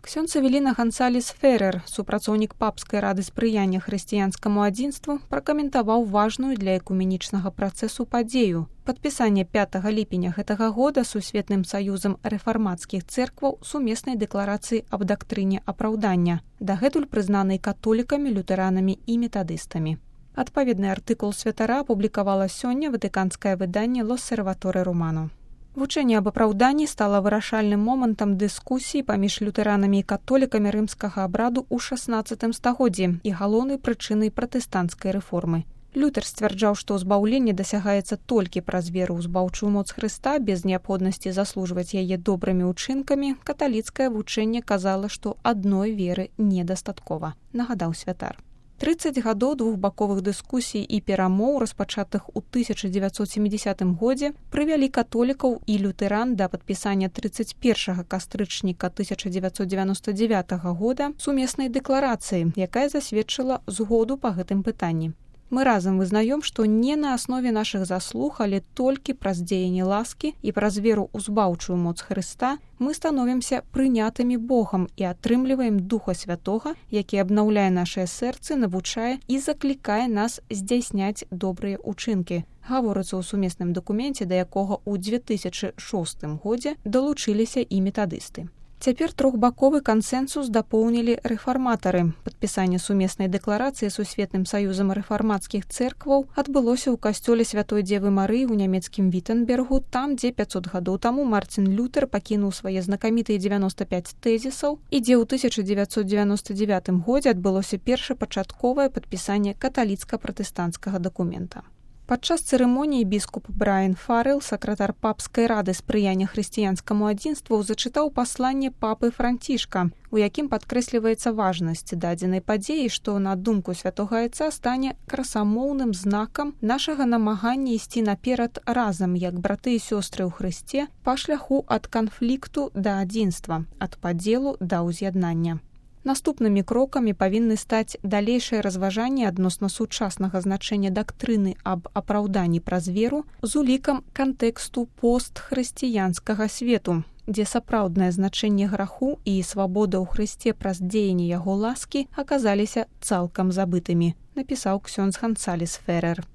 Ксёндз Эвеліна Гансалес Феррер, супрацоўнік папскай рады спрыяння хрысціянскаму адзінству, пракаментаваў важную для экуменічнага працэсу падзею. Падпісанне 5 ліпеня гэтага года Сусветным саюзам рэфармацкіх цэркваў сумеснай дэкларацыі аб дактрыне апраўдання, дагэтуль прызнанай католікамі, лютэранамі і метадыстамі. Адпаведны артыкул святара апублікавала сёння ватыканскае выданне «L'Osservatore Romano». Вучэнне аб апраўданні стала вырашальным момантам дыскусіі паміж лютэранамі і католікамі рымскага абраду ў 16 стагоддзі і галоўнай прычынай пратэстанцкай рэформы. Лютэр сцвярджаў, што ўзбаўленне дасягаецца толькі праз веру ў збаўчую моц Хрыста без неабходнасці заслужваць яе добрымі ўчынкамі. Каталіцкае вучэнне казала, што адной веры недастаткова, нагадаў святар. 30 гадоў двухбаковых дыскусій і перамоў, распачатых у 1970 годзе, прывялі католікаў і лютэран да падпісання 31 кастрычніка 1999 года сумеснай дэкларацыі, якая засведчыла згоду па гэтым пытанні. Мы разам вызнаем, што не на аснове нашых заслуг, але толькі праз дзеянне ласкі і праз веру ў збаўчую моц Хрыста мы становімся прынятымі Богам і атрымліваем Духа Святога, які абнаўляе нашыя сэрцы, навучае і заклікае нас здзяйсняць добрыя ўчынкі. Гаворыцца ў сумесным дакуменце, да якога ў 2006 годзе далучыліся і метадысты. Цяпер трохбаковы кансэнсус дапоўнілі рэфарматары. Падпісанне сумеснай дэкларацыі Сусветным саюзам рэфармацкіх цэркваў адбылося ў касцёле Святой Дзевы Марыі ў нямецкім Віттенбергу, там, дзе 500 гадоў таму Мартин Лютэр пакінуў свае знакамітыя 95 тэзісаў і дзе ў 1999 годзе адбылося першапачатковае падпісанне каталіцка-пратэстанцкага дакумента. Падчас цырымоніі біскуп Брайан Фаррелл, сакратар папскай рады спрыяння хрысціянскаму адзінству, зачытаў пасланне папы Францішка, у якім падкрэсліваецца важнасць дадзенай падзеі, што, на думку святога айца, стане красамоўным знакам нашага намагання ісці наперад разам, як браты і сёстры ў Хрысце, па шляху ад канфлікту да адзінства, ад падзелу да ўз'яднання. Наступнымі крокамі павінны стаць далейшае разважанне адносна сучаснага значэння дактрыны аб апраўданні праз веру з улікам кантэксту постхрысціянскага свету, дзе сапраўднае значэнне граху і свабода ў Хрысце праз дзеянне яго ласкі аказаліся цалкам забытымі, напісаў ксёндз Гансалес Феррер.